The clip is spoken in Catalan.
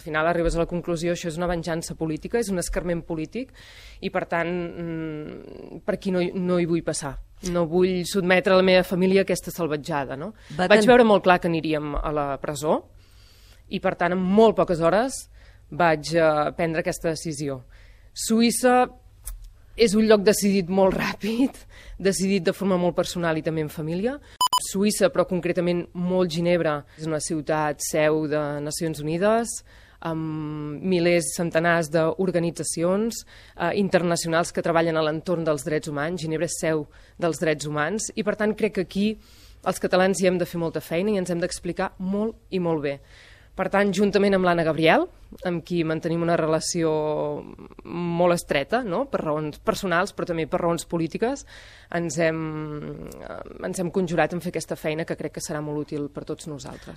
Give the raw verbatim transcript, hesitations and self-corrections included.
final arribes a la conclusió, això és una venjança política, és un escarment polític, i per tant, per aquí no, no hi vull passar. No vull sotmetre la meva família a aquesta salvatjada, no? Va Vaig veure molt clar que aniríem a la presó, i per tant, en molt poques hores vaig uh, prendre aquesta decisió. Suïssa és un lloc decidit molt ràpid, decidit de forma molt personal i també en família. Suïssa, però concretament molt Ginebra, és una ciutat seu de Nacions Unides, amb milers, centenars d'organitzacions eh, internacionals que treballen a l'entorn dels drets humans. Ginebra és seu dels drets humans i, per tant, crec que aquí els catalans hi hem de fer molta feina i ens hem d'explicar molt i molt bé. Per tant, juntament amb l'Anna Gabriel, amb qui mantenim una relació molt estreta, no? Per raons personals, però també per raons polítiques, ens hem, ens hem conjurat en fer aquesta feina que crec que serà molt útil per tots nosaltres.